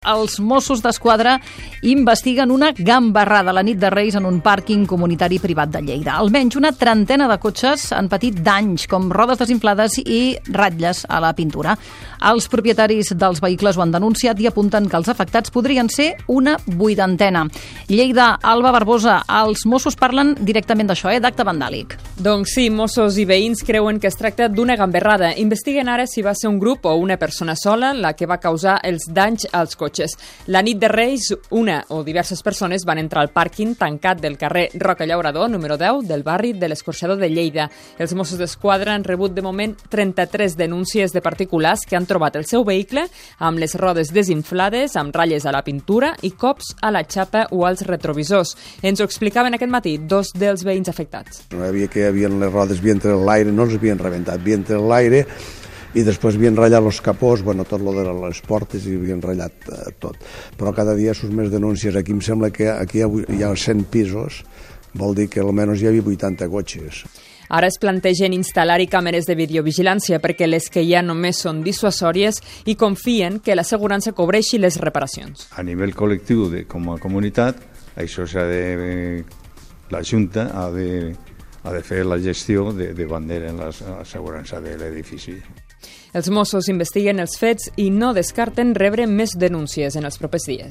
Els Mossos d'Esquadra investiguen una gambarrada la nit de Reis en un pàrquing comunitari privat de Lleida. Almenys una trentena de cotxes han patit danys, com rodes desinflades i ratlles a la pintura. Els propietaris dels vehicles ho han denunciat i apunten que els afectats podrien ser una vuitantena. Lleida, Alba Barbosa, els Mossos parlen directament d'això, d'acte vandàlic. Doncs sí, Mossos i veïns creuen que es tracta d'una gambarrada. Investiguen ara si va ser un grup o una persona sola la que va causar els danys als cotxes. La nit de Reis, una o diverses persones van entrar al pàrquing tancat del carrer Roca Llaurador, número 10, del barri de l'Escorxador de Lleida. Els Mossos d'Esquadra han rebut de moment 33 denúncies de particulars que han trobat el seu vehicle amb les rodes desinflades, amb ratlles a la pintura i cops a la xapa o als retrovisors. Ens ho explicaven aquest matí dos dels veïns afectats. No hi havia que les rodes havien tret l'aire, no els havien rebentat, havien tret l'aire i després havien ratllat els capós, tot lo de les portes i havien ratllat tot. Però cada dia surt més denúncies. Aquí em sembla que aquí hi ha 100 pisos, vol dir que almenys hi havia 80 cotxes. Ara es plantegen instal·lar-hi càmeres de videovigilància perquè les que hi ha només són dissuasòries i confien que l'assegurança cobreixi les reparacions. A nivell col·lectiu, com a comunitat, això s'ha de... La Junta ha de fer la gestió davant de l'assegurança de l'edifici. Els Mossos investiguen els fets i no descarten rebre més denúncies en els propers dies.